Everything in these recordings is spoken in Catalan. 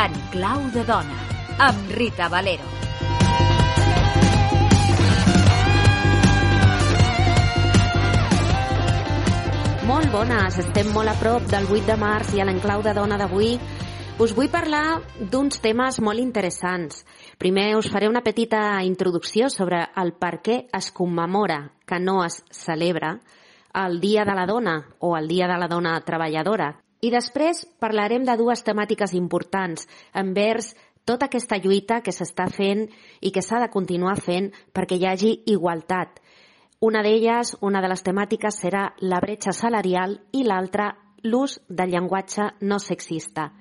En clau de dona, amb Rita Valero. Molt bones, estem molt a prop del 8 de març i a l'enclau de dona d'avui us vull parlar d'uns temes molt interessants. Primer us faré una petita introducció sobre el per què es commemora, que no es celebra, el Dia de la Dona o el Dia de la Dona Treballadora. I després parlarem de dues temàtiques importants envers tota aquesta lluita que s'està fent i que s'ha de continuar fent perquè hi hagi igualtat. Una d'elles, una de les temàtiques, serà la bretxa salarial i l'altra, l'ús del llenguatge no sexista.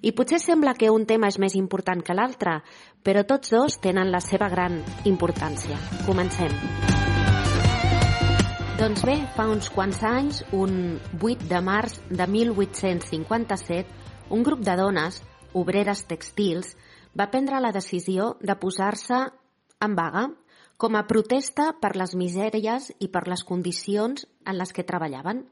I potser sembla que un tema és més important que l'altre, però tots dos tenen la seva gran importància. Comencem. Doncs bé, fa uns quants anys, un 8 de març de 1857, un grup de dones, obreres tèxtils, va prendre la decisió de posar-se en vaga com a protesta per les misèries i per les condicions en les que treballaven.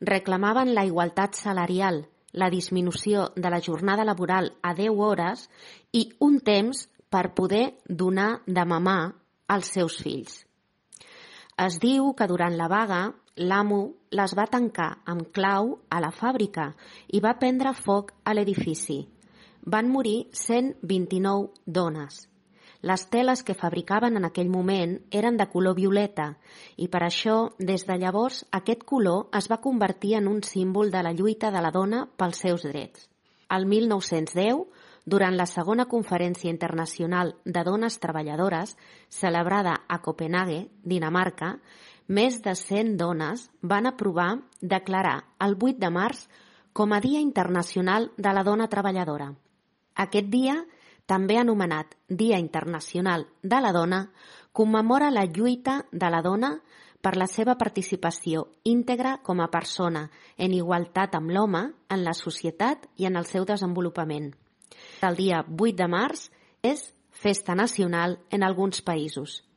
Reclamaven la igualtat salarial, la disminució de la jornada laboral a 10 hores i un temps per poder donar de mamar als seus fills. Es diu que durant la vaga l'amo les va tancar amb clau a la fàbrica i va prendre foc a l'edifici. Van morir 129 dones. Les teles que fabricaven en aquell moment eren de color violeta i per això, des de llavors, aquest color es va convertir en un símbol de la lluita de la dona pels seus drets. El 1910, durant la segona conferència internacional de dones treballadores, celebrada a Copenhague, Dinamarca, més de 100 dones van aprovar declarar el 8 de març com a Dia Internacional de la Dona Treballadora. Aquest dia, també anomenat Dia Internacional de la Dona, commemora la lluita de la dona per la seva participació íntegra com a persona en igualtat amb l'home en la societat i en el seu desenvolupament. El dia 8 de març és festa nacional en alguns països.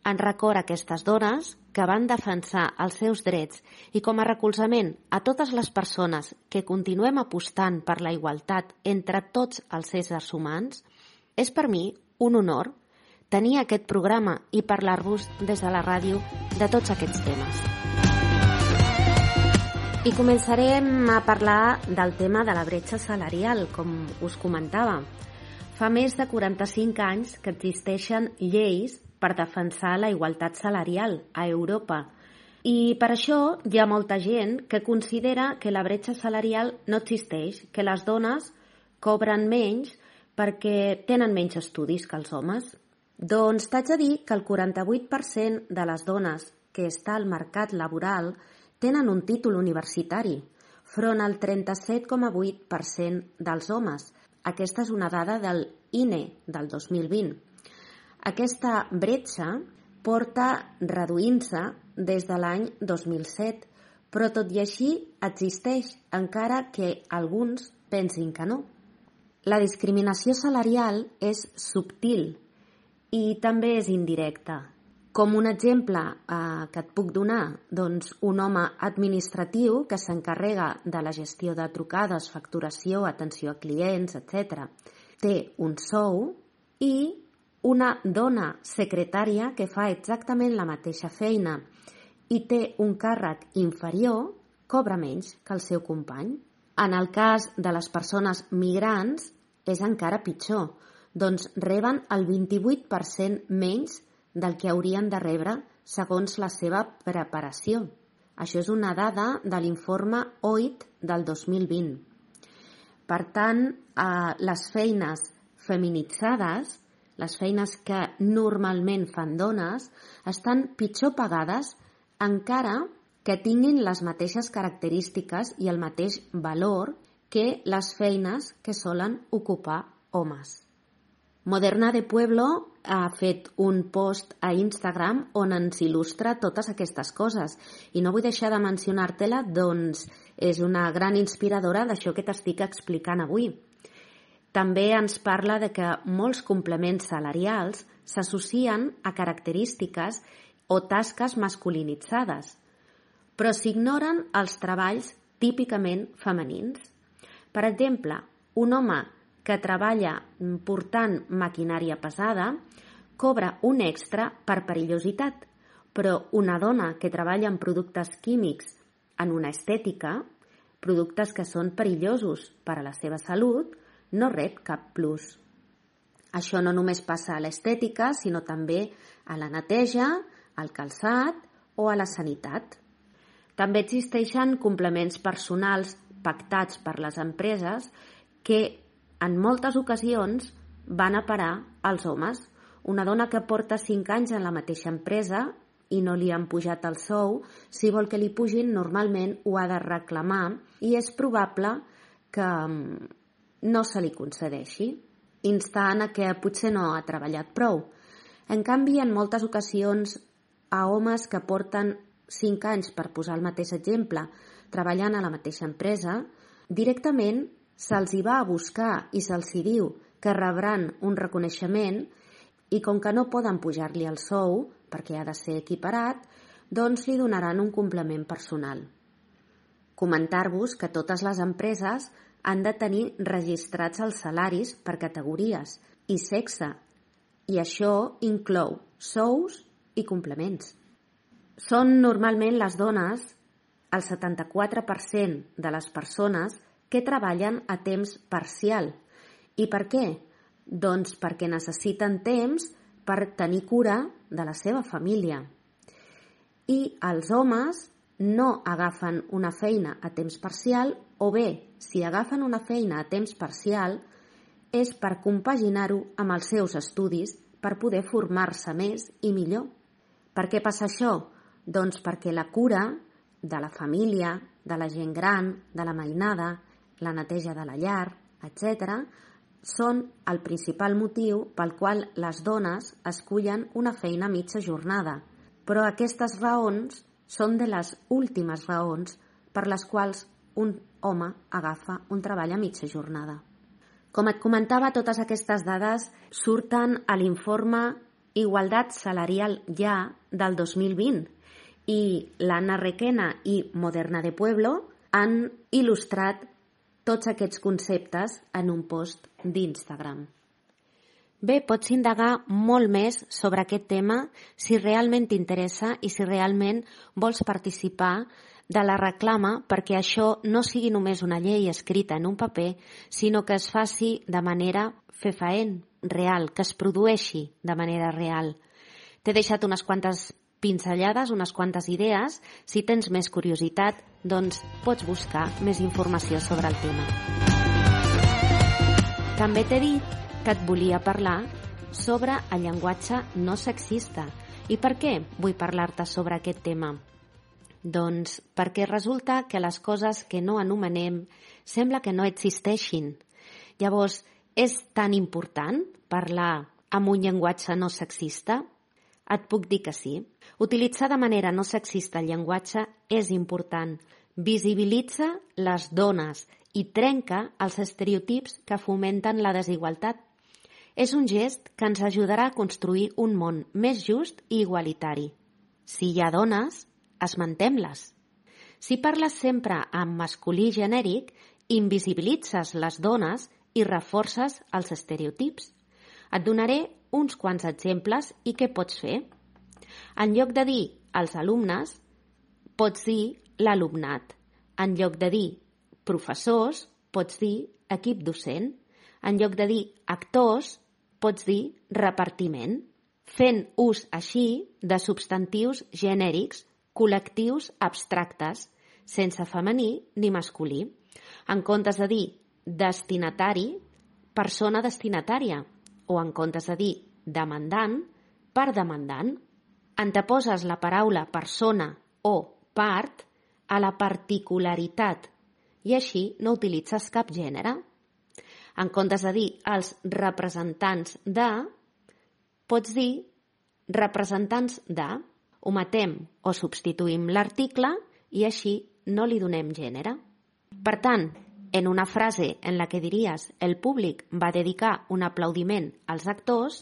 En record a aquestes dones que van defensar els seus drets i com a recolzament a totes les persones que continuem apostant per la igualtat entre tots els éssers humans, és per mi un honor tenir aquest programa i parlar-vos des de la ràdio de tots aquests temes. I començarem a parlar del tema de la bretxa salarial, com us comentava. Fa més de 45 anys que existeixen lleis per defensar la igualtat salarial a Europa. I per això hi ha molta gent que considera que la bretxa salarial no existeix, que les dones cobren menys perquè tenen menys estudis que els homes. Doncs t'haig de dir que el 48% de les dones que està al mercat laboral tenen un títol universitari, front al 37,8% dels homes. Aquesta és una dada del INE del 2020. Aquesta bretxa porta reduint-se des de l'any 2007, però tot i així existeix, encara que alguns pensin que no. La discriminació salarial és subtil i també és indirecta. Com un exemple que et puc donar, doncs un home administratiu que s'encarrega de la gestió de trucades, facturació, atenció a clients, etc. té un sou i una dona secretària que fa exactament la mateixa feina i té un càrrec inferior cobra menys que el seu company. En el cas de les persones migrants és encara pitjor, doncs reben el 28% menys del que haurien de rebre segons la seva preparació. Això és una dada de l'informe OIT del 2020. Per tant, les feines feminitzades, les feines que normalment fan dones, estan pitjor pagades encara que tinguin les mateixes característiques i el mateix valor que les feines que solen ocupar homes. Moderna de Pueblo ha fet un post a Instagram on ens il·lustra totes aquestes coses i no vull deixar de mencionar-te-la, doncs és una gran inspiradora d'això que t'estic explicant avui. També ens parla de que molts complements salarials s'associen a característiques o tasques masculinitzades, però s'ignoren els treballs típicament femenins. Per exemple, un home que treballa portant maquinària pesada cobra un extra per perillositat, però una dona que treballa en productes químics en una estètica, productes que són perillosos per a la seva salut, no rep cap plus. Això no només passa a l'estètica, sinó també a la neteja, al calçat o a la sanitat. També existeixen complements personals pactats per les empreses que en moltes ocasions van a parar als homes. Una dona que porta 5 anys en la mateixa empresa i no li han pujat el sou, si vol que li pugin, normalment ho ha de reclamar i és probable que no se li concedeixi, instant a que potser no ha treballat prou. En canvi, en moltes ocasions, a homes que porten 5 anys, per posar el mateix exemple, treballant a la mateixa empresa, directament se'ls hi va a buscar i se'ls hi diu que rebran un reconeixement i com que no poden pujar-li el sou, perquè ha de ser equiparat, doncs li donaran un complement personal. Comentar-vos que totes les empreses han de tenir registrats els salaris per categories i sexe, i això inclou sous i complements. Són normalment les dones el 74% de les persones que treballen a temps parcial. I per què? Doncs perquè necessiten temps per tenir cura de la seva família. I els homes no agafen una feina a temps parcial o bé, si agafen una feina a temps parcial, és per compaginar-ho amb els seus estudis per poder formar-se més i millor. Per què passa això? Doncs perquè la cura de la família, de la gent gran, de la mainada, la neteja de la llar, etc., són el principal motiu pel qual les dones escullen una feina a mitja jornada. Però aquestes raons són de les últimes raons per les quals un home agafa un treball a mitja jornada. Com et comentava, totes aquestes dades surten a l'informe Igualtat Salarial Ja del 2020 i l'Anna Requena i Moderna de Pueblo han il·lustrat tots aquests conceptes en un post d'Instagram. Bé, pots indagar molt més sobre aquest tema si realment t'interessa i si realment vols participar de la reclama perquè això no sigui només una llei escrita en un paper, sinó que es faci de manera fefaent, real, que es produeixi de manera real. T'he deixat unes quantes pinzellades, unes quantes idees. Si tens més curiositat, doncs pots buscar més informació sobre el tema. També t'he dit que et volia parlar sobre el llenguatge no sexista. I per què vull parlar-te sobre aquest tema? Doncs perquè resulta que les coses que no anomenem sembla que no existeixin. Llavors, és tan important parlar amb un llenguatge no sexista? Et puc dir que sí. Utilitzar de manera no sexista el llenguatge és important. Visibilitza les dones i trenca els estereotips que fomenten la desigualtat. És un gest que ens ajudarà a construir un món més just i igualitari. Si hi ha dones, esmentem-les. Si parles sempre en masculí genèric, invisibilitzes les dones i reforces els estereotips. Et donaré uns quants exemples i què pots fer. En lloc de dir els alumnes, pots dir l'alumnat. En lloc de dir professors, pots dir equip docent. En lloc de dir actors, pots dir repartiment. Fent ús així de substantius genèrics, col·lectius abstractes, sense femení ni masculí. En comptes de dir destinatari, persona destinatària. O en comptes de dir demandant, per demandant. Anteposes la paraula persona o part a la particularitat i així no utilitzes cap gènere. En comptes de dir els representants de, pots dir representants de. Ometem o substituïm l'article i així no li donem gènere. Per tant, en una frase en la que diries el públic va dedicar un aplaudiment als actors,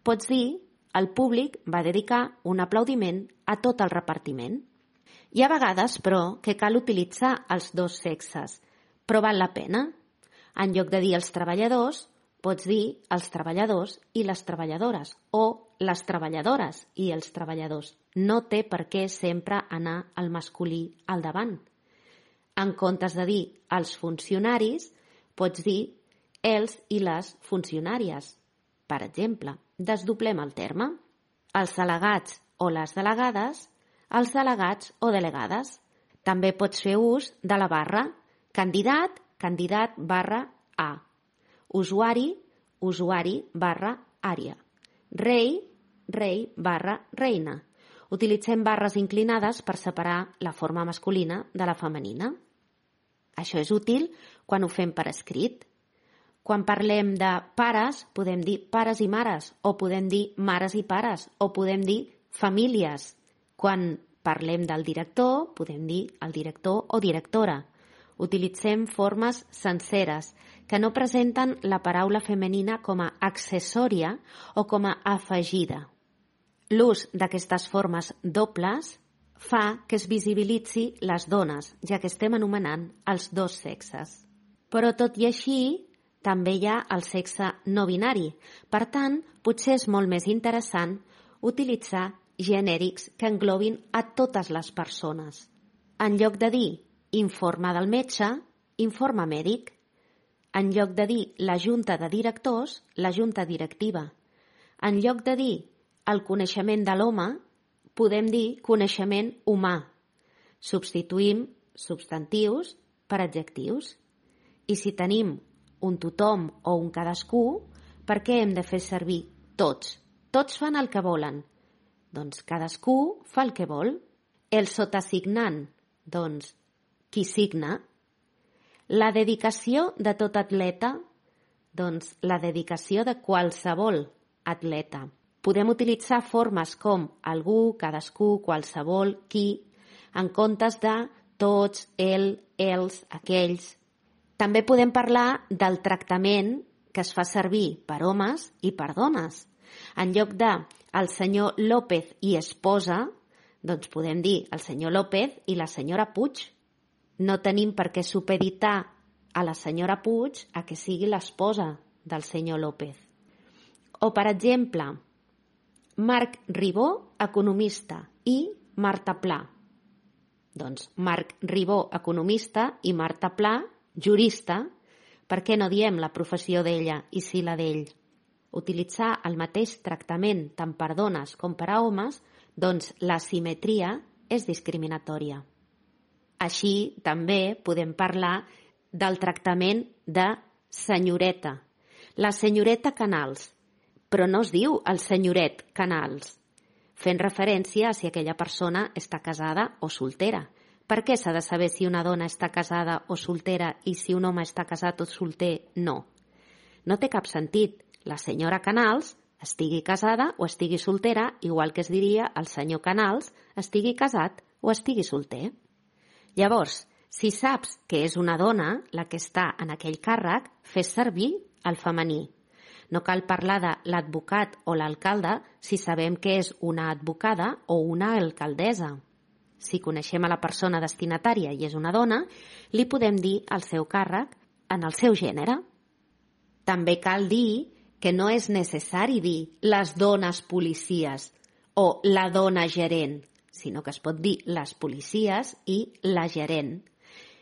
pots dir el públic va dedicar un aplaudiment a tot el repartiment. Hi ha vegades, però, que cal utilitzar els dos sexes, però val la pena. En lloc de dir els treballadors, pots dir els treballadors i les treballadores, o les treballadores i els treballadors. No té per què sempre anar el masculí al davant. En comptes de dir els funcionaris, pots dir els i les funcionàries. Per exemple, desdoblem el terme. Els delegats o les delegades, els delegats o delegades. També pots fer ús de la barra candidat, candidat barra A. Usuari, usuari barra àrea. Rei, rei barra reina. Utilitzem barres inclinades per separar la forma masculina de la femenina. Això és útil quan ho fem per escrit. Quan parlem de pares, podem dir pares i mares, o podem dir mares i pares, o podem dir famílies. Quan parlem del director, podem dir el director o directora. Utilitzem formes senceres que no presenten la paraula femenina com a accessòria o com a afegida. L'ús d'aquestes formes dobles fa que es visibilitzi les dones, ja que estem anomenant els dos sexes. Però tot i així, també hi ha el sexe no binari. Per tant, potser és molt més interessant utilitzar genèrics que englobin a totes les persones. En lloc de dir informe del metge, informe mèdic. En lloc de dir la junta de directors, la junta directiva. En lloc de dir el coneixement de l'home, podem dir coneixement humà. Substituïm substantius per adjectius. I si tenim un tothom o un cadascú, per què hem de fer servir tots? Tots fan el que volen. Doncs cadascú fa el que vol. El sotasignant, doncs qui signa. La dedicació de tot atleta, doncs la dedicació de qualsevol atleta. Podem utilitzar formes com algú, cadascú, qualsevol, qui, en comptes de tots, el, els, aquells. També podem parlar del tractament que es fa servir per homes i per dones. En lloc de el senyor López i esposa, doncs podem dir el senyor López i la senyora Puig. No tenim per què supeditar a la senyora Puig a que sigui l'esposa del senyor López. O, per exemple, Marc Ribó, economista, i Marta Pla. Doncs Marc Ribó, economista, i Marta Pla, jurista. Per què no diem la professió d'ella i sí la d'ell? Utilitzar el mateix tractament tant per dones com per a homes, doncs la simetria és discriminatòria. Així també podem parlar del tractament de senyoreta. La senyoreta Canals, però no es diu el senyoret Canals, fent referència a si aquella persona està casada o soltera. Per què s'ha de saber si una dona està casada o soltera i si un home està casat o solter no? No té cap sentit. La senyora Canals estigui casada o estigui soltera, igual que es diria el senyor Canals estigui casat o estigui solter. Llavors, si saps que és una dona la que està en aquell càrrec, fes servir el femení. No cal parlar de l'advocat o l'alcalde si sabem que és una advocada o una alcaldessa. Si coneixem a la persona destinatària i és una dona, li podem dir el seu càrrec en el seu gènere. També cal dir que no és necessari dir les dones policies o la dona gerent, sinó que es pot dir les policies i la gerent.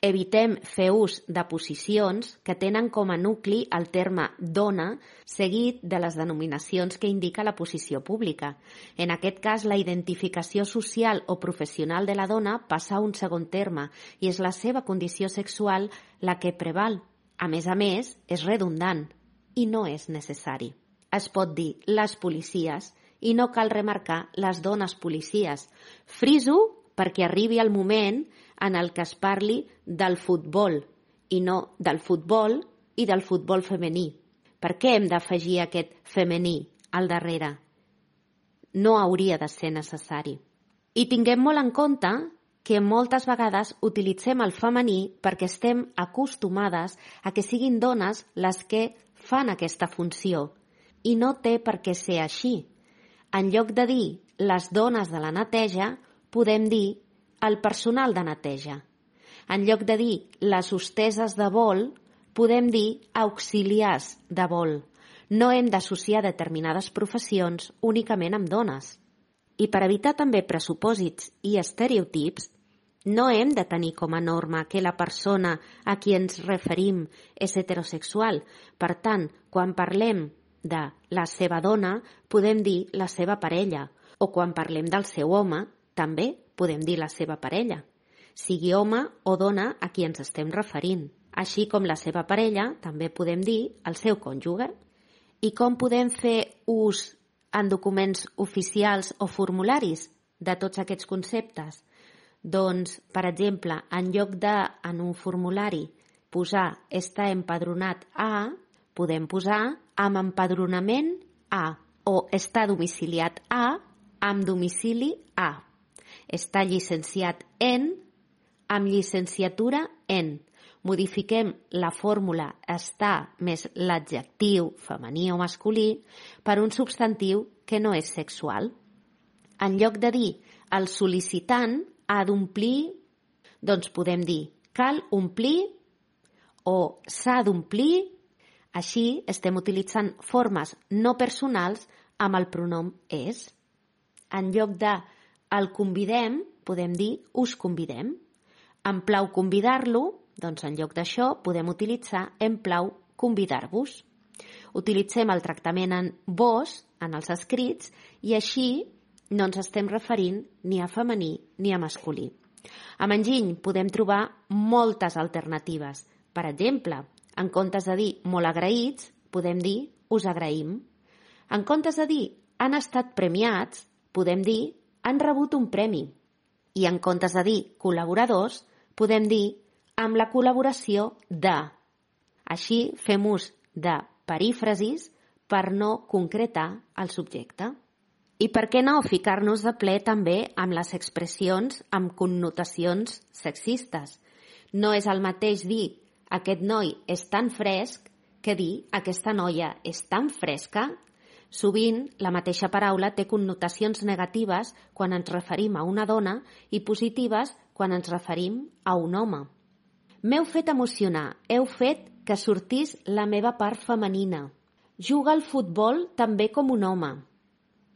Evitem fer ús de posicions que tenen com a nucli el terme dona seguit de les denominacions que indica la posició pública. En aquest cas, la identificació social o professional de la dona passa a un segon terme i és la seva condició sexual la que preval. A més, és redundant i no és necessari. Es pot dir les policies i no cal remarcar les dones policies. Friso perquè arribi el moment en el que es parli del futbol i no del futbol i del futbol femení. Per què hem d'afegir aquest femení al darrere? No hauria de ser necessari. I tinguem molt en compte que moltes vegades utilitzem el femení perquè estem acostumades a que siguin dones les que fan aquesta funció i no té per què ser així. En lloc de dir les dones de la neteja, podem dir el personal de neteja. En lloc de dir les hosteses de vol, podem dir auxiliars de vol. No hem d'associar determinades professions únicament amb dones. I per evitar també pressupòsits i estereotips, no hem de tenir com a norma que la persona a qui ens referim és heterosexual. Per tant, quan parlem de la seva dona, podem dir la seva parella, o quan parlem del seu home, també podem dir la seva parella, sigui home o dona a qui ens estem referint. Així com la seva parella, també podem dir el seu cònjuge. I com podem fer ús en documents oficials o formularis de tots aquests conceptes? Doncs, per exemple, en lloc de, en un formulari, posar «està empadronat a», podem posar «amb empadronament a» o «està domiciliat a» amb domicili a. «Està llicenciat en» amb llicenciatura en. Modifiquem la fórmula «està» més l'adjectiu femení o masculí per un substantiu que no és sexual. En lloc de dir «el sol·licitant ha d'omplir», doncs podem dir «cal omplir» o «s'ha d'omplir». Així estem utilitzant formes no personals amb el pronom «és». En lloc de «el convidem», podem dir «us convidem». Em plau convidar-lo, doncs en lloc d'això podem utilitzar «em plau convidar-vos». Utilitzem el tractament en vos en els escrits i així no ens estem referint ni a femení ni a masculí. Amb enginy podem trobar moltes alternatives. Per exemple, en comptes de dir molt agraïts, podem dir us agraïm. En comptes de dir han estat premiats, podem dir han rebut un premi. I en comptes de dir col·laboradors, podem dir amb la col·laboració de. Així fem ús de perífrasis per no concretar el subjecte. I per què no ficar-nos de ple també amb les expressions amb connotacions sexistes? No és el mateix dir aquest noi és tan fresc que dir aquesta noia és tan fresca. Sovint la mateixa paraula té connotacions negatives quan ens referim a una dona i positives quan ens referim a un home. M'heu fet emocionar, heu fet que sortís la meva part femenina. Juga al futbol també com un home.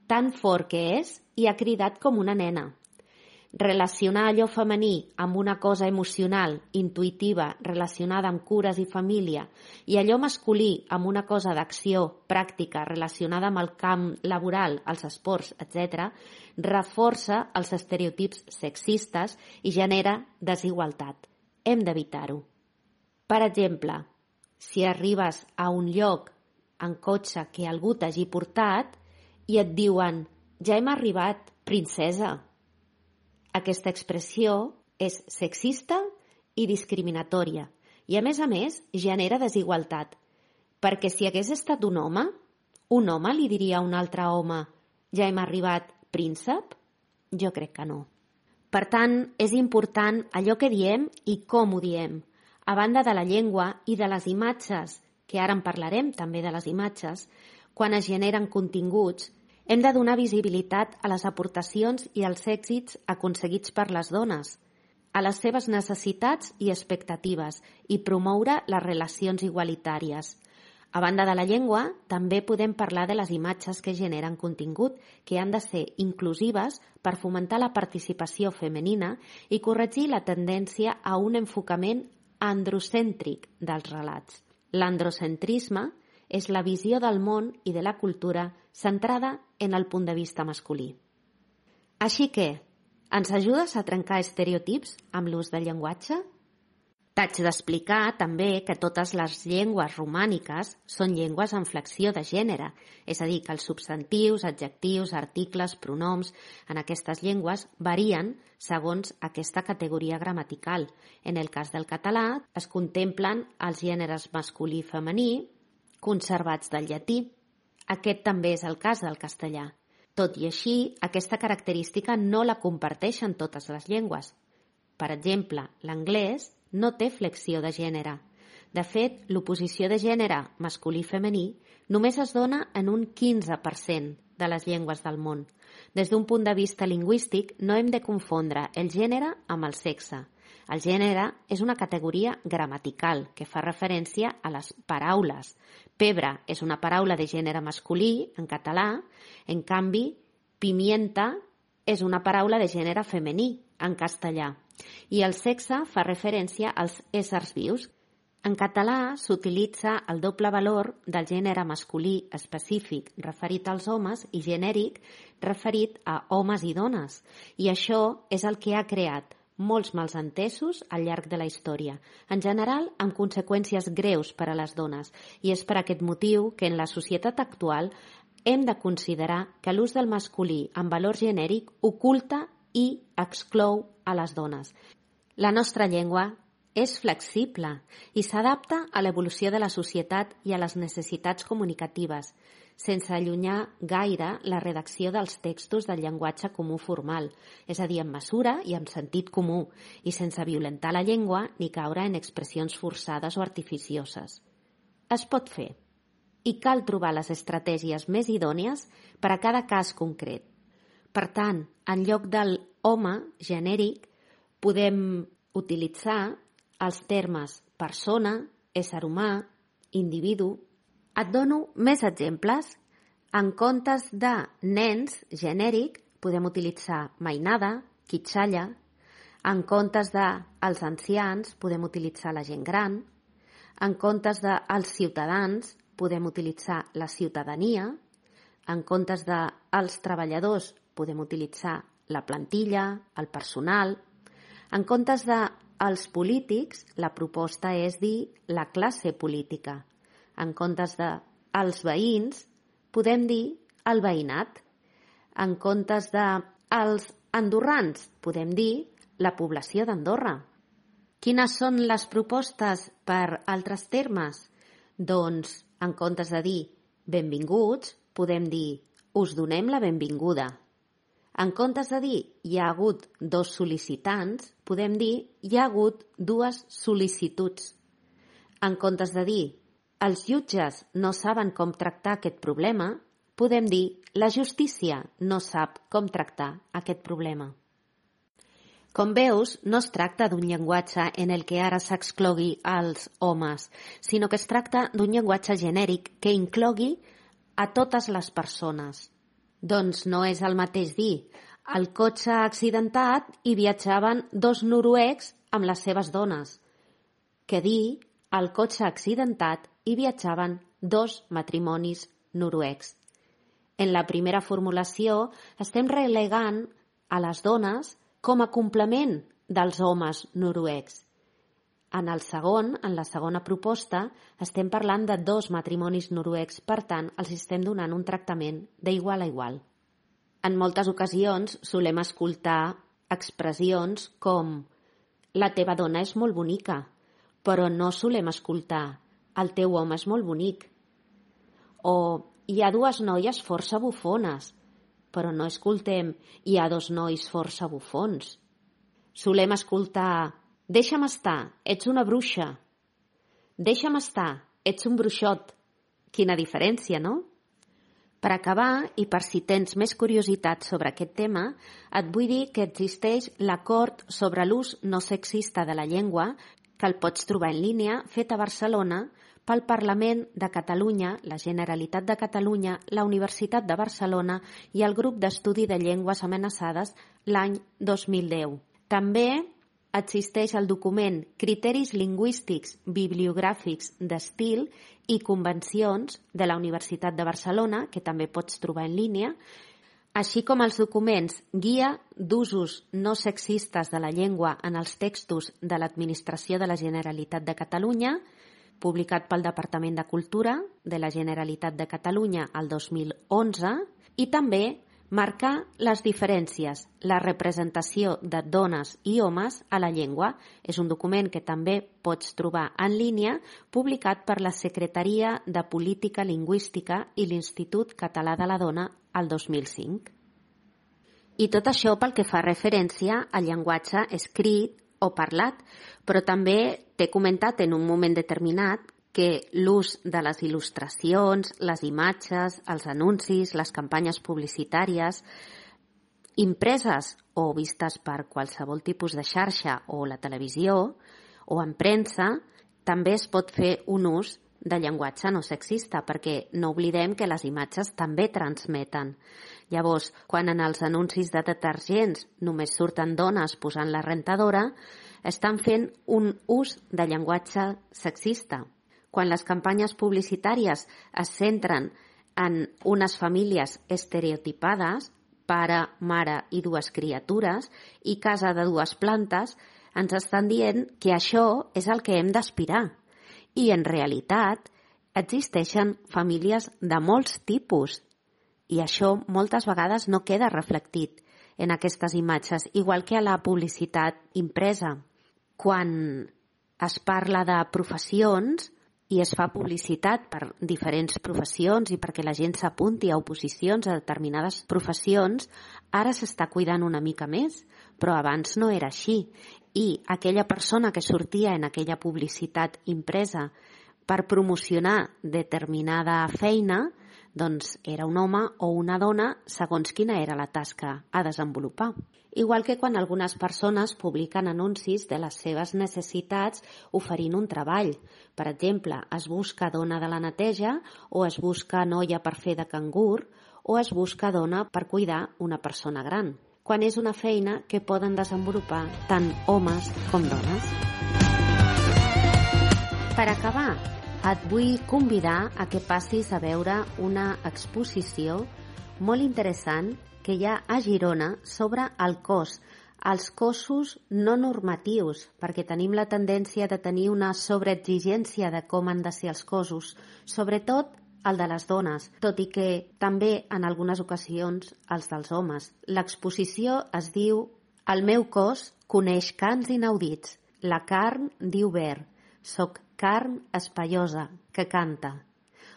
Tan fort que és i ha cridat com una nena. Relacionar allò femení amb una cosa emocional, intuïtiva, relacionada amb cures i família, i allò masculí amb una cosa d'acció, pràctica, relacionada amb el camp laboral, els esports, etc., reforça els estereotips sexistes i genera desigualtat. Hem d'evitar-ho. Per exemple, si arribes a un lloc en cotxe que algú t'hagi portat i et diuen «ja hem arribat, princesa». Aquesta expressió és sexista i discriminatòria i, a més, genera desigualtat, perquè si hagués estat un home li diria a un altre home «ja hem arribat, príncep»? Jo crec que no. Per tant, és important allò que diem i com ho diem. A banda de la llengua i de les imatges, que ara en parlarem també de les imatges, quan es generen continguts, hem de donar visibilitat a les aportacions i als èxits aconseguits per les dones, a les seves necessitats i expectatives i promoure les relacions igualitàries. A banda de la llengua, també podem parlar de les imatges que generen contingut, que han de ser inclusives per fomentar la participació femenina i corregir la tendència a un enfocament androcèntric dels relats. L'androcentrisme és la visió del món i de la cultura centrada en el punt de vista masculí. Així que, ens ajudes a trencar estereotips amb l'ús del llenguatge? T'haig d'explicar també que totes les llengües romàniques són llengües en flexió de gènere, és a dir, que els substantius, adjectius, articles, pronoms en aquestes llengües varien segons aquesta categoria gramatical. En el cas del català es contemplen els gèneres masculí i femení conservats del llatí. Aquest també és el cas del castellà. Tot i així, aquesta característica no la comparteixen totes les llengües. Per exemple, l'anglès no té flexió de gènere. De fet, l'oposició de gènere masculí-femení només es dona en un 15% de les llengües del món. Des d'un punt de vista lingüístic, no hem de confondre el gènere amb el sexe. El gènere és una categoria gramatical que fa referència a les paraules. Pebre és una paraula de gènere masculí en català, en canvi, pimienta és una paraula de gènere femení en castellà. I el sexe fa referència als éssers vius. En català s'utilitza el doble valor del gènere masculí específic referit als homes i genèric referit a homes i dones. I això és el que ha creat molts malentesos al llarg de la història, en general amb conseqüències greus per a les dones, i és per aquest motiu que en la societat actual hem de considerar que l'ús del masculí amb valor genèric oculta i exclou a les dones. La nostra llengua és flexible i s'adapta a l'evolució de la societat i a les necessitats comunicatives, sense allunyar gaire la redacció dels textos del llenguatge comú formal, és a dir, amb mesura i amb sentit comú, i sense violentar la llengua ni caure en expressions forçades o artificioses. Es pot fer, i cal trobar les estratègies més idònies per a cada cas concret. Per tant, en lloc del home genèric, podem utilitzar els termes persona, ésser humà, individu. Et dono més exemples. En comptes de nens genèric, podem utilitzar mainada, quitxalla. En comptes de els ancians, podem utilitzar la gent gran. En comptes de els ciutadans, podem utilitzar la ciutadania. En comptes de els treballadors, podem utilitzar la plantilla, el personal. En comptes de els polítics, la proposta és dir la classe política. En comptes de els veïns, podem dir el veïnat. En comptes de els andorrans, podem dir la població d'Andorra. Quines són les propostes per altres termes? Doncs, en comptes de dir benvinguts, podem dir us donem la benvinguda. En comptes de dir hi ha hagut 2 sol·licitants, podem dir hi ha hagut 2 sol·licituds. En comptes de dir els jutges no saben com tractar aquest problema, podem dir la justícia no sap com tractar aquest problema. Com veus, no es tracta d'un llenguatge en el que ara s'exclogui els homes, sinó que es tracta d'un llenguatge genèric que inclogui a totes les persones. Doncs no és el mateix dir el cotxe accidentat i viatjaven 2 noruecs amb les seves dones, que dir el cotxe accidentat i viatjaven 2 matrimonis noruecs. En la primera formulació estem relegant a les dones com a complement dels homes noruecs. En la segona proposta, estem parlant de 2 matrimonis noruecs, per tant, els estem donant un tractament d'igual a igual. En moltes ocasions solem escoltar expressions com la teva dona és molt bonica, però no solem escoltar el teu home és molt bonic. O hi ha 2 noies força bufones, però no escoltem hi ha 2 nois força bufons. Solem escoltar deixa'm estar, ets una bruixa. Deixa'm estar, ets un bruixot. Quina diferència, no? Per acabar, i per si tens més curiositat sobre aquest tema, et vull dir que existeix l'acord sobre l'ús no sexista de la llengua, que el pots trobar en línia, fet a Barcelona, pel Parlament de Catalunya, la Generalitat de Catalunya, la Universitat de Barcelona i el Grup d'Estudi de Llengües Amenaçades l'any 2010. També existeix el document Criteris lingüístics bibliogràfics d'estil i convencions de la Universitat de Barcelona, que també pots trobar en línia, així com els documents Guia d'usos no sexistes de la llengua en els textos de l'Administració de la Generalitat de Catalunya, publicat pel Departament de Cultura de la Generalitat de Catalunya el 2011, i també marcar les diferències, la representació de dones i homes a la llengua. És un document que també pots trobar en línia, publicat per la Secretaria de Política Lingüística i l'Institut Català de la Dona el 2005. I tot això pel que fa referència al llenguatge escrit o parlat, però també t'he comentat en un moment determinat que l'ús de les il·lustracions, les imatges, els anuncis, les campanyes publicitàries, impreses o vistes per qualsevol tipus de xarxa o la televisió o en premsa, també es pot fer un ús de llenguatge no sexista, perquè no oblidem que les imatges també transmeten. Llavors, quan en els anuncis de detergents només surten dones posant la rentadora, estan fent un ús de llenguatge sexista. Quan les campanyes publicitàries es centren en unes famílies estereotipades, pare, mare i dues criatures, i casa de dues plantes, ens estan dient que això és el que hem d'aspirar. I en realitat existeixen famílies de molts tipus i això moltes vegades no queda reflectit en aquestes imatges, igual que a la publicitat impresa. Quan es parla de professions i es fa publicitat per diferents professions i perquè la gent s'apunti a oposicions a determinades professions, ara s'està cuidant una mica més, però abans no era així. I aquella persona que sortia en aquella publicitat impresa per promocionar determinada feina, doncs era un home o una dona segons quina era la tasca a desenvolupar. Igual que quan algunes persones publiquen anuncis de les seves necessitats oferint un treball. Per exemple, es busca dona de la neteja o es busca noia per fer de cangur o es busca dona per cuidar una persona gran, quan és una feina que poden desenvolupar tant homes com dones. Per acabar, et vull convidar a que passis a veure una exposició molt interessant que hi ha a Girona sobre el cos, els cossos no normatius, perquè tenim la tendència de tenir una sobreexigència de com han de ser els cossos, sobretot el de les dones, tot i que també en algunes ocasions els dels homes. L'exposició es diu El meu cos coneix cants inaudits. La carn diu ver. Soc carn espaiosa que canta.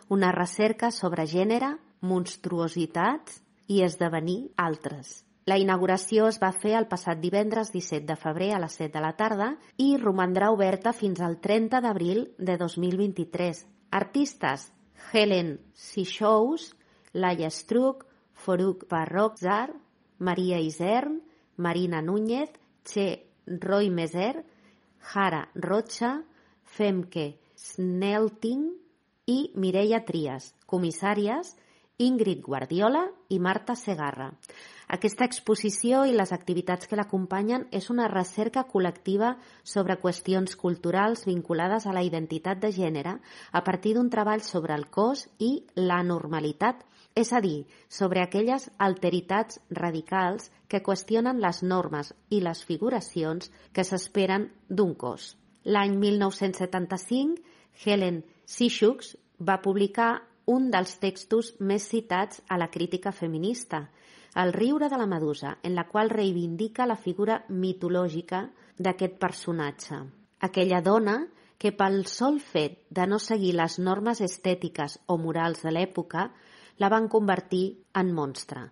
Una recerca sobre gènere, monstruositats i esdevenir altres. La inauguració es va fer el passat divendres 17 de febrer a les 7 de la tarda i romandrà oberta fins al 30 d'abril de 2023. Artistes: Helen Sixous, Laia Struck, Foruk Barrotzar, Maria Isern, Marina Núñez, Che Roimeser, Jara Rocha, Femke Snelting i Mireia Trias, comissàries Ingrid Guardiola i Marta Segarra. Aquesta exposició i les activitats que l'acompanyen és una recerca col·lectiva sobre qüestions culturals vinculades a la identitat de gènere a partir d'un treball sobre el cos i la normalitat, és a dir, sobre aquelles alteritats radicals que qüestionen les normes i les figuracions que s'esperen d'un cos. L'any 1975, Helen Sixous va publicar un dels textos més citats a la crítica feminista, El riure de la medusa, en la qual reivindica la figura mitològica d'aquest personatge. Aquella dona que pel sol fet de no seguir les normes estètiques o morals de l'època la van convertir en monstre.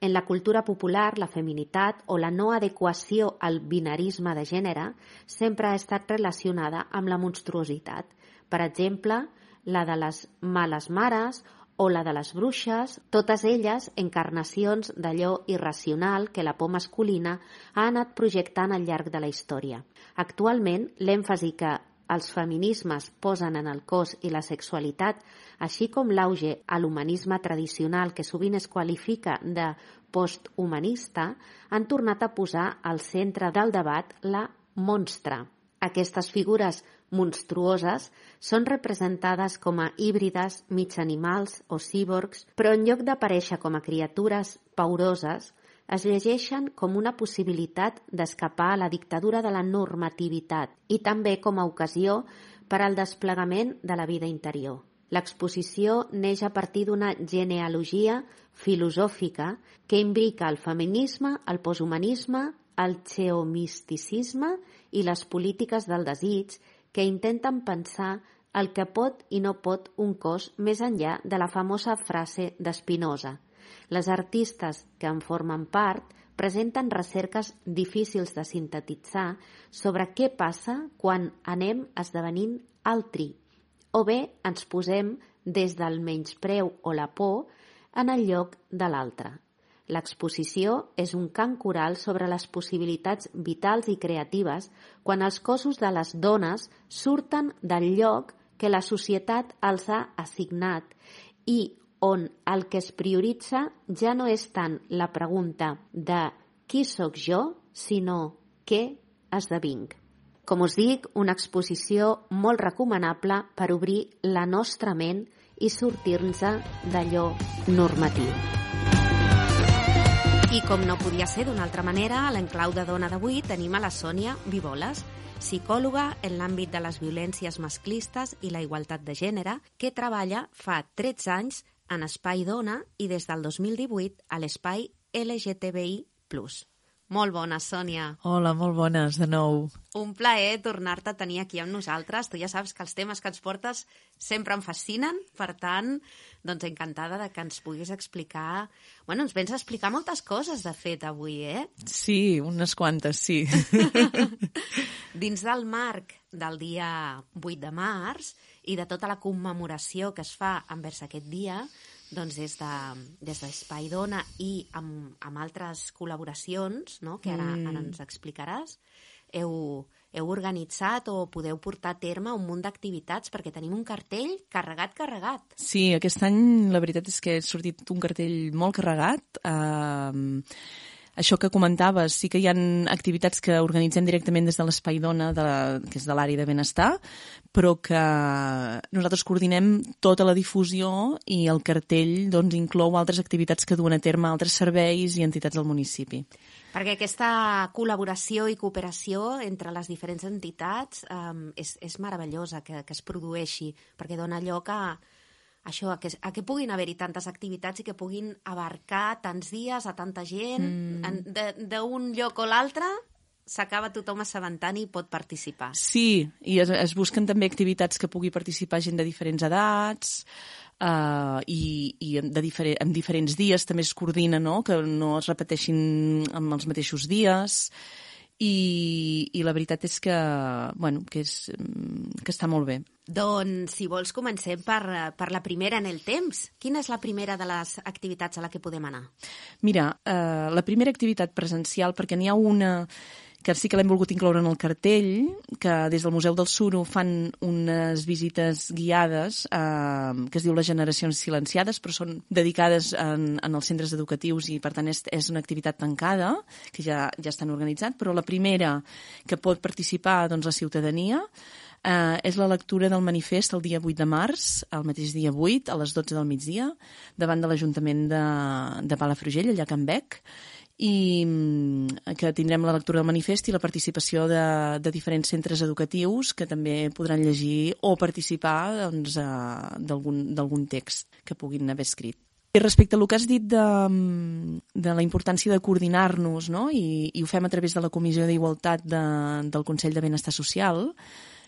En la cultura popular, la feminitat o la no adequació al binarisme de gènere sempre ha estat relacionada amb la monstruositat. Per exemple, la de les males mares o la de les bruixes, totes elles encarnacions d'allò irracional que la por masculina ha anat projectant al llarg de la història. Actualment, l'èmfasi que els feminismes posen en el cos i la sexualitat, així com l'auge a l'humanisme tradicional que sovint es qualifica de posthumanista, han tornat a posar al centre del debat la monstra. Aquestes figures monstruoses són representades com a híbrides, mig animals o cíborgs, però en lloc d'aparèixer com a criatures pauroses, es llegeixen com una possibilitat d'escapar a la dictadura de la normativitat i també com a ocasió per al desplegament de la vida interior. L'exposició neix a partir d'una genealogia filosòfica que imbrica el feminisme, el posthumanisme, el geomisticisme i les polítiques del desig que intenten pensar el que pot i no pot un cos més enllà de la famosa frase d'Spinoza. Les artistes que en formen part presenten recerques difícils de sintetitzar sobre què passa quan anem esdevenint altri, o bé ens posem des del menyspreu o la por en el lloc de l'altre. L'exposició és un cant coral sobre les possibilitats vitals i creatives quan els cossos de les dones surten del lloc que la societat els ha assignat i on el que es prioritza ja no és tant la pregunta de qui sóc jo, sinó què esdevinc. Com us dic, una exposició molt recomanable per obrir la nostra ment i sortir-nos d'allò normatiu. I com no podia ser d'una altra manera, a l'Enclau de Dona d'avui tenim a la Sònia Viboles, psicòloga en l'àmbit de les violències masclistes i la igualtat de gènere, que treballa fa 13 anys en Espai Dona i des del 2018 a l'Espai LGTBI+. Molt bona, Sònia. Hola, molt bones, de nou. Un plaer tornar-te a tenir aquí amb nosaltres. Tu ja saps que els temes que ens portes sempre em fascinen, per tant, doncs encantada de que ens puguis explicar... Bueno, ens vens a explicar moltes coses, de fet, avui, eh? Sí, unes quantes, sí. Dins del marc del dia 8 de març i de tota la commemoració que es fa envers aquest dia, doncs des d'Espai Dona i amb altres col·laboracions, no?, que ara ens explicaràs, heu organitzat o podeu portar a terme un munt d'activitats perquè tenim un cartell carregat. Sí, aquest any la veritat és que ha sortit un cartell molt carregat. Això que comentaves, sí que hi ha activitats que organitzem directament des de l'Espai Dona, que és de l'àrea de benestar, però que nosaltres coordinem tota la difusió i el cartell doncs, inclou altres activitats que duen a terme altres serveis i entitats del municipi. Perquè aquesta col·laboració i cooperació entre les diferents entitats és meravellosa que es produeixi, perquè dona lloc a que puguin haver-hi tantes activitats i que puguin abarcar tants dies a tanta gent, d'un lloc o l'altre s'acaba tothom assabentant i pot participar. Sí, i es busquen també activitats que pugui participar gent de diferents edats, i en diferents dies també es coordina, no?, que no es repeteixin amb els mateixos dies, i la veritat és que, bueno, que està molt bé. Doncs, si vols, comencem per la primera en el temps. Quina és la primera de les activitats a la que podem anar? Mira, la primera activitat presencial, perquè n'hi ha una que sí que l'hem volgut incloure en el cartell, que des del Museu del Suro fan unes visites guiades que es diu Les generacions silenciades, però són dedicades en els centres educatius i, per tant, és una activitat tancada, que ja estan organitzats, però la primera que pot participar doncs, la ciutadania és la lectura del manifest el dia 8 de març, el mateix dia 8, a les 12 del migdia, davant de l'Ajuntament de Palafrugell, allà a Can Bec, i que tindrem la lectura del manifest i la participació de diferents centres educatius que també podran llegir o participar doncs, d'algun text que puguin haver escrit. I respecte al que has dit de la importància de coordinar-nos, no?, i ho fem a través de la Comissió d'Igualtat del Consell de Benestar Social,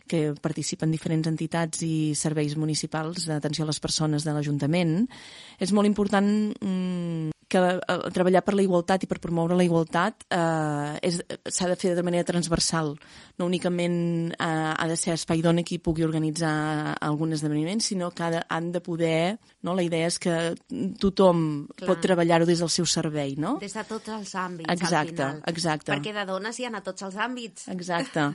que participen diferents entitats i serveis municipals d'atenció a les persones de l'Ajuntament, és molt important que treballar per la igualtat i per promoure la igualtat s'ha de fer de manera transversal. No únicament ha de ser Espai Dona qui pugui organitzar algun esdeveniment, sinó que han de poder... No? La idea és que tothom pot treballar-ho des del seu servei, no? Des de tots els àmbits, exacte, al final. Exacte. Perquè de dones hi ha a tots els àmbits. Exacte.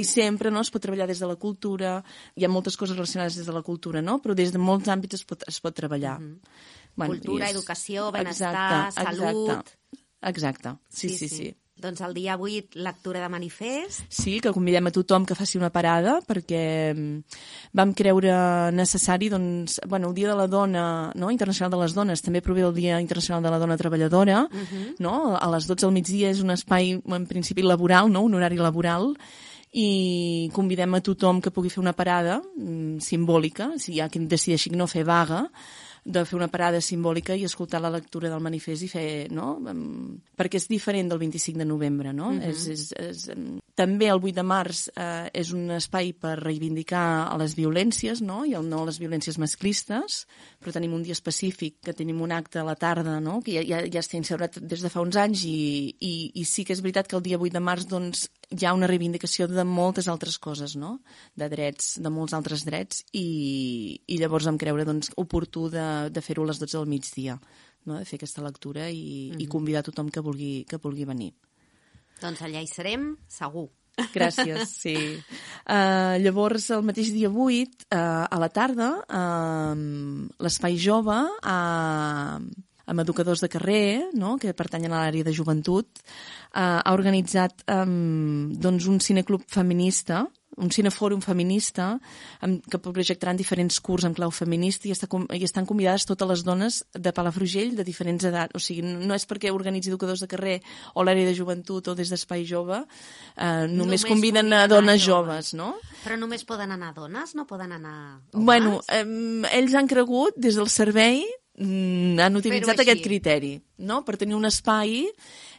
I sempre, no, es pot treballar des de la cultura, hi ha moltes coses relacionades des de la cultura, no? Però des de molts àmbits es pot treballar. Bueno, cultura, educació, benestar, salut... Exacte, sí. Doncs el dia 8, lectura de manifest. Sí, que convidem a tothom que faci una parada, perquè vam creure necessari, doncs, bueno, el Dia de la Dona, no?, Internacional de les Dones, també prové el Dia Internacional de la Dona Treballadora, no?, a les 12 del migdia és un espai, en principi, laboral, no?, un horari laboral, i convidem a tothom que pugui fer una parada simbòlica, si hi ha qui decideixi no fer vaga, de fer una parada simbòlica i escoltar la lectura del manifest i fer, no?, perquè és diferent del 25 de novembre, no? També el 8 de març és un espai per reivindicar a les violències, no?, i no a les violències masclistes, però tenim un dia específic, que tenim un acte a la tarda, no?, que ja està instaurat des de fa uns anys i sí que és veritat que el dia 8 de març, doncs, hi ha una reivindicació de moltes altres coses, no? De drets, de molts altres drets, i llavors vam creure doncs, oportú de fer-ho a les 12 del migdia, no? De fer aquesta lectura i convidar tothom que vulgui venir. Doncs allà hi serem, segur. Gràcies, sí. Llavors, el mateix dia 8, a la tarda, l'Espai Jove, amb educadors de carrer, no?, que pertanyen a l'àrea de joventut, ha organitzat doncs, un cineclub feminista, un cinefòrum feminista, que projectaran diferents curs en clau feminista i estan convidades totes les dones de Palafrugell de diferents edats. O sigui, no és perquè organitzi educadors de carrer o l'àrea de joventut o des d'Espai Jove, només conviden a dones joves, no? Però només poden anar dones? No poden anar homes? Bueno, ells han cregut, des del servei, han utilitzat aquest criteri, no? Per tenir un espai.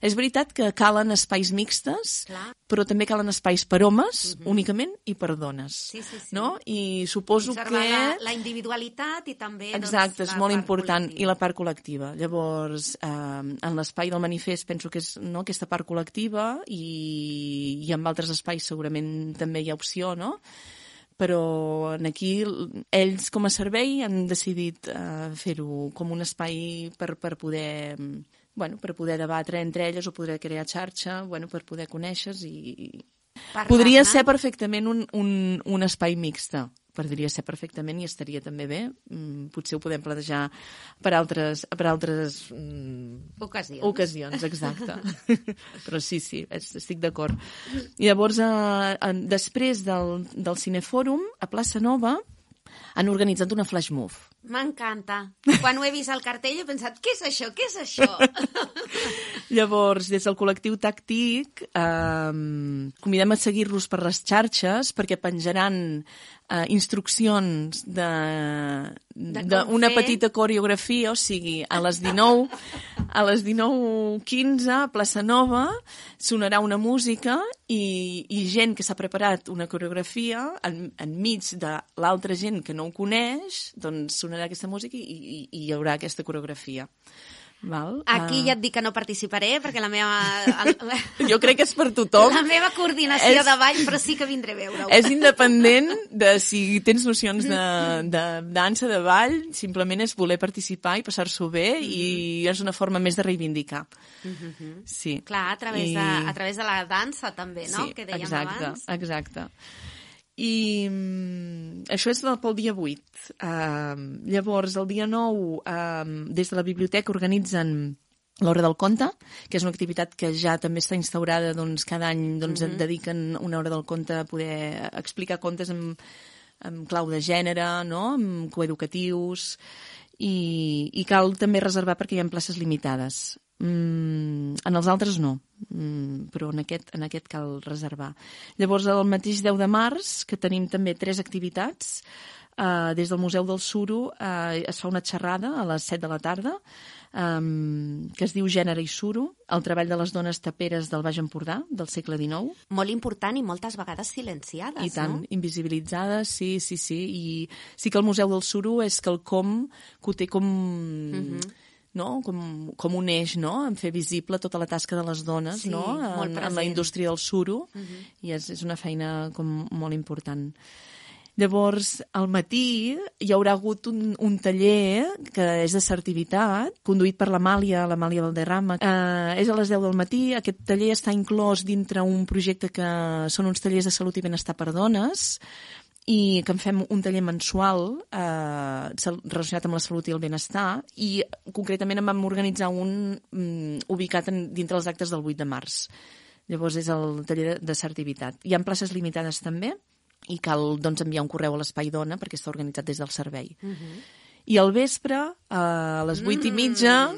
És veritat que calen espais mixtes, però també calen espais per homes, únicament, i per dones. Sí. No? I suposo que... la individualitat i també... Exacte, és molt important. I la part col·lectiva. Llavors, en l'espai del manifest penso que és aquesta part col·lectiva i en altres espais segurament també hi ha opció, no? Però aquí ells com a servei han decidit fer-ho com un espai per poder debatre entre elles o poder crear xarxa, per poder conèixer-se i... Podria ser perfectament un espai mixte. Podria ser perfectament i estaria també bé. Potser ho podem plantejar per altres ocasions, exacte. Però sí, estic d'acord. I llavors, després del Cinefòrum, a Plaça Nova, han organitzat una flash move. M'encanta. Quan ho he vist al cartell he pensat, què és això? Què és això? Llavors, des del col·lectiu Tàctic, convidem a seguir-los per les xarxes perquè penjaran instruccions d'una petita coreografia, o sigui, a les 19:15 a Plaça Nova sonarà una música i gent que s'ha preparat una coreografia enmig de l'altra gent que no ho coneix, doncs sonarà aquesta música i hi haurà aquesta coreografia. Val? Aquí ja et dic que no participaré perquè la meva... Jo crec que és per tothom. La meva coordinació de ball, però sí que vindré a veure-ho. És independent de si tens nocions de dansa, de ball, simplement és voler participar i passar-s'ho bé i és una forma més de reivindicar. Sí. Clar, a través de la dansa també, no? Sí, que dèiem abans. Exacte. I això és pel dia 8. Llavors, el dia 9, des de la biblioteca organitzen l'Hora del Conte, que és una activitat que ja també està instaurada, doncs, cada any dediquen una hora del conte a poder explicar contes en clau de gènere, no? Amb coeducatius, i cal també reservar perquè hi ha places limitades. En els altres no, però en aquest cal reservar. Llavors, el mateix 10 de març, que tenim també 3 activitats, des del Museu del Suro es fa una xerrada a les 7 de la tarda, que es diu Gènere i Suro, el treball de les dones taperes del Baix Empordà, del segle XIX. Molt important i moltes vegades silenciades, no? I tant, invisibilitzades, sí. I sí que el Museu del Suro és quelcom que ho té com... no? Com un eix, no? En fer visible tota la tasca de les dones, no? En la indústria del suro, i és una feina com molt important. Llavors, al matí hi haurà hagut un taller que és d'assertivitat, conduït per l'Amàlia Valderrama. És a les 10 del matí. Aquest taller està inclòs dintre un projecte que són uns tallers de salut i benestar per dones, i que en fem un taller mensual relacionat amb la salut i el benestar, i concretament en vam organitzar un ubicat dintre els actes del 8 de març. Llavors és el taller d'assertivitat. Hi ha places limitades també, i cal doncs, enviar un correu a l'Espai Dona perquè està organitzat des del servei. I al vespre, a les 8:30,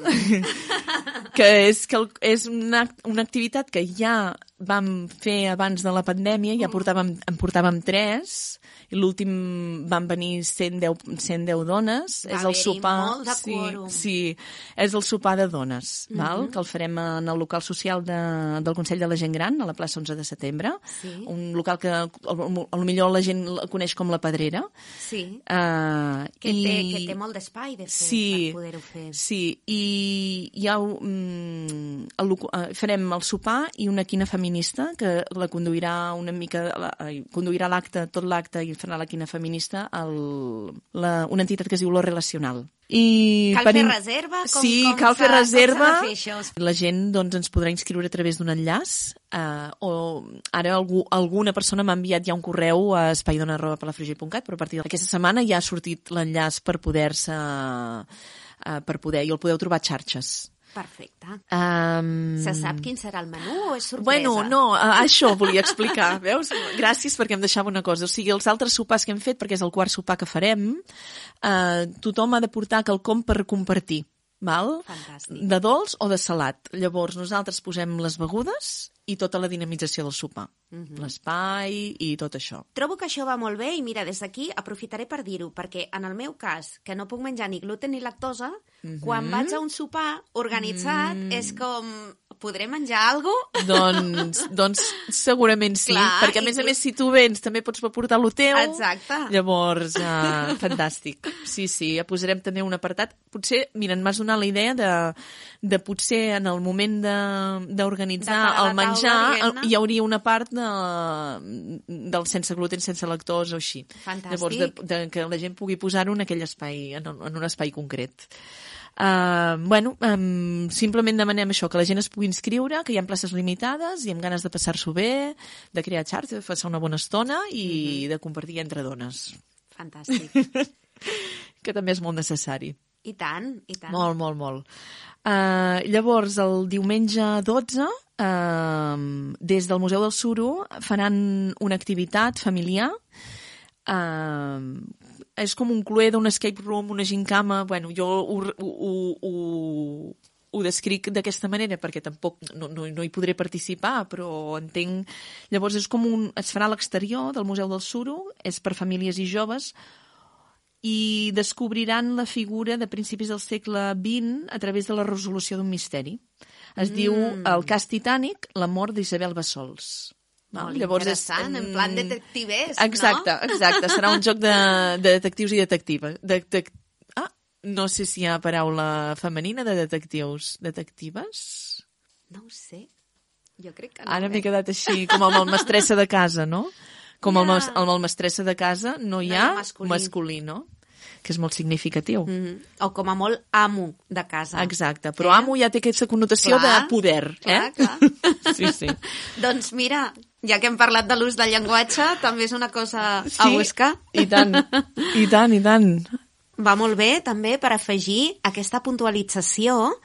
que és una activitat que ja vam fer abans de la pandèmia, ja en portàvem 3, i l'últim van venir 110 dones. Va haver-hi molt de quòrum. Sí, és el sopar de dones, val? Que el farem en el local social del Consell de la Gent Gran, a la plaça 11 de setembre. Sí. Un local que potser la gent el coneix com la Pedrera. Sí, que té molt d'espai, de fet, per poder-ho fer. Sí, i hi ha farem el sopar i una quina familiar feminista, que la conduirà una mica, conduirà tot l'acte i farà la quina feminista, una entitat que es diu Lo Relacional. Cal fer reserva? Cal fer reserva. Com s'ha de fer això? La gent doncs, ens podrà inscriure a través d'un enllaç, o ara alguna persona m'ha enviat ja un correu a espaidona@palafrugell.cat, però a partir d'aquesta setmana ja ha sortit l'enllaç per poder, i el podeu trobar a xarxes. Perfecte. Se sap quin serà el menú o és sorpresa? Bueno, no, això volia explicar, veus? Gràcies perquè em deixava una cosa. O sigui, els altres sopars que hem fet, perquè és el quart sopar que farem, tothom ha de portar quelcom per compartir, val? Fantàstic. De dolç o de salat. Llavors, nosaltres posem les begudes i tota la dinamització del sopar. L'espai i tot això. Trobo que això va molt bé i mira, des d'aquí aprofitaré per dir-ho, perquè en el meu cas, que no puc menjar ni gluten ni lactosa, quan vaig a un sopar organitzat és com... Podré menjar alguna cosa? Doncs segurament sí, clar, perquè a més, si tu vens també pots portar lo teu. Exacte. Llavors, fantàstic. Sí, ja posarem també un apartat. Potser, mira, m'has donat la idea de potser en el moment d'organitzar el menjar hi hauria una part del sense gluten, sense lactosa o així. Fantàstic. Llavors, que la gent pugui posar-ho en aquell espai, en un espai concret. Simplement demanem això, que la gent es pugui inscriure, que hi ha places limitades i amb ganes de passar-s'ho bé, de crear xarxa, de passar una bona estona i de compartir entre dones. Fantàstic. Que també és molt necessari. I tant, i tant. Molt, molt, molt. Llavors, el diumenge 12, des del Museu del Suro faran una activitat familiar. És com un cluedo, un escape room, una gincama. Bueno, jo ho descric d'aquesta manera perquè tampoc no hi podré participar, però entenc... Llavors es farà a l'exterior del Museu del Suro, és per famílies i joves, i descobriran la figura de principis del segle XX a través de la resolució d'un misteri. Es diu El cas Titànic, la mort d'Isabel Bassols. Molt interessant, en plan detectives, exacte, no? Exacte, serà un joc de detectius i detectives. No sé si hi ha paraula femenina de detectius. Detectives? No ho sé. Jo crec que no. Ara m'he quedat així, com amb el mestressa de casa, no? Com amb el mestressa de casa no hi ha masculí, no? Que és molt significatiu. O com a molt amo de casa. Exacte, però amo ja té aquesta connotació de poder. Clar. Sí. Doncs mira, ja que hem parlat de l'ús del llenguatge, també és una cosa a buscar. I tant. Va molt bé també per afegir aquesta puntualització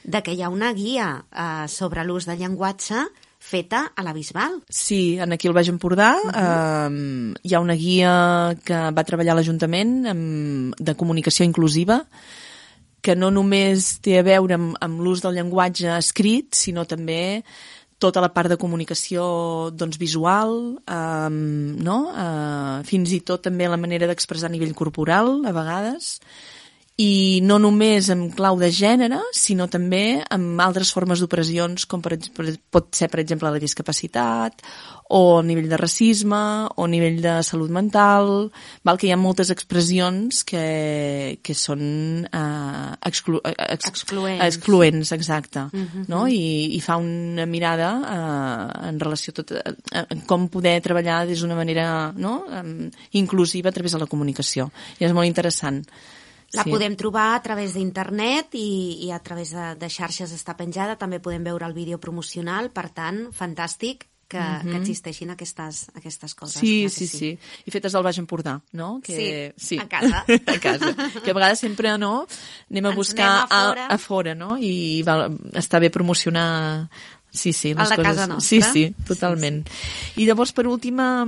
de que hi ha una guia sobre l'ús del llenguatge feta a la Bisbal. Sí, aquí al Baix Empordà hi ha una guia que va treballar a l'Ajuntament de comunicació inclusiva, que no només té a veure amb l'ús del llenguatge escrit, sinó també tota la part de comunicació visual, fins i tot també la manera d'expressar a nivell corporal, a vegades, i no només en clau de gènere, sinó també amb altres formes d'opressions, com pot ser, per exemple, la discapacitat, o a nivell de racisme, o a nivell de salut mental, que hi ha moltes expressions que són excloents, exacte, no? I fa una mirada en relació a com poder treballar des d'una manera inclusiva a través de la comunicació. I és molt interessant. La podem trobar a través d'internet i a través de xarxes està penjada. També podem veure el vídeo promocional. Per tant, fantàstic que existeixin aquestes coses. Sí. I fetes al Baix Empordà, no? Sí, a casa. A casa. Que a vegades sempre, anem a buscar a fora, no? I està bé promocionar... Sí, les coses. Casa nostra. Sí, totalment. I llavors, per última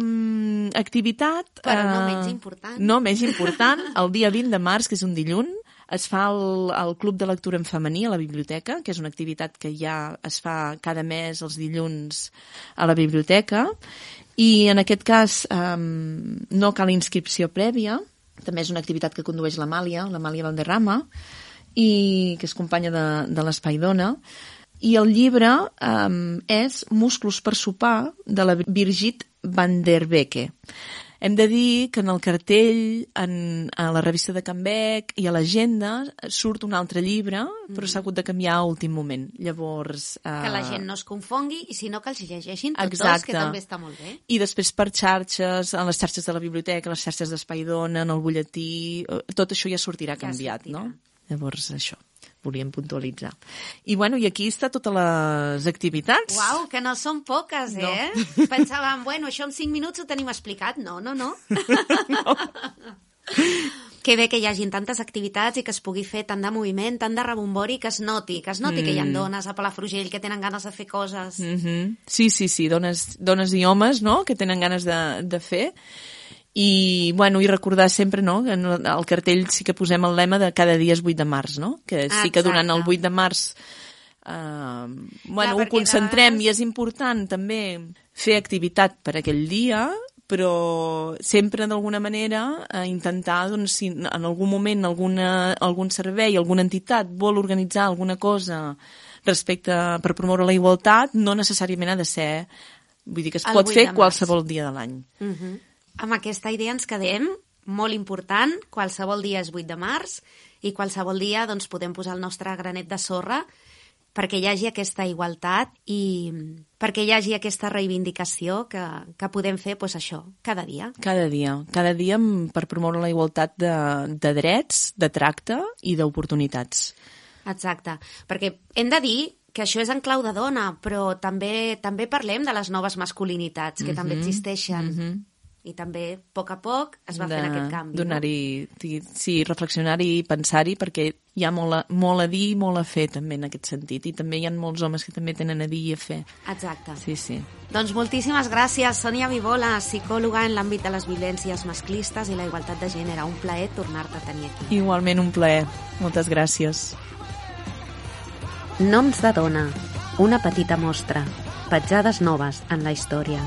activitat... Però no menys important. No menys important, el dia 20 de març, que és un dilluns, es fa el Club de Lectura en Femení a la biblioteca, que és una activitat que ja es fa cada mes els dilluns a la biblioteca, i en aquest cas no cal inscripció prèvia, també és una activitat que condueix l'Amàlia Valderrama, i que és companya de l'Espai Dona. I el llibre és Musclos per sopar, de la Birgit van der Becke. Hem de dir que en el cartell, a la revista de Can Bec i a l'agenda surt un altre llibre, però s'ha hagut de canviar a últim moment. Llavors... Que la gent no es confongui i si no que els llegeixin tots Exacte. dos, que també està molt bé. I després per xarxes, en les xarxes de la biblioteca, les xarxes d'Espai Dona, en el butlletí, tot això ja sortirà canviat, no? Llavors, això, volíem puntualitzar. I bueno, i aquí està totes les activitats. Uau, que no són poques, No. Pensàvem, bueno, això en 5 minuts ho tenim explicat. No. No. Que bé que hi hagin tantes activitats i que es pugui fer tant de moviment, tant de rebombori, que es noti que hi ha dones a Palafrugell que tenen ganes de fer coses. Sí, dones i homes, no?, que tenen ganes de fer. I, bueno, i recordar sempre, no?, que al cartell sí que posem el lema de cada dia és 8 de març, no?, que sí que durant el 8 de març ho concentrem i és important també fer activitat per aquell dia, però sempre d'alguna manera intentar, doncs, si en algun moment algun servei, alguna entitat vol organitzar alguna cosa per promoure la igualtat, no necessàriament ha de ser, vull dir que es pot fer qualsevol dia de l'any. Amb aquesta idea ens quedem, molt important, qualsevol dia és 8 de març i qualsevol dia doncs, podem posar el nostre granet de sorra perquè hi hagi aquesta igualtat i perquè hi hagi aquesta reivindicació que podem fer doncs, això, cada dia. Cada dia per promoure la igualtat de drets, de tracte i d'oportunitats. Exacte, perquè hem de dir que això és en clau de dona, però també parlem de les noves masculinitats que també existeixen. I també, a poc es va fent aquest canvi. Donar-hi, sí, reflexionar-hi i pensar-hi, perquè hi ha molt a dir i molt a fer també en aquest sentit. I també hi ha molts homes que també tenen a dir i a fer. Exacte. Sí. Doncs moltíssimes gràcies, Sònia Vivola, psicòloga en l'àmbit de les violències masclistes i la igualtat de gènere. Un plaer tornar-te a tenir aquí. Igualment un plaer. Moltes gràcies. Noms de dona. Una petita mostra. Petjades noves en la història.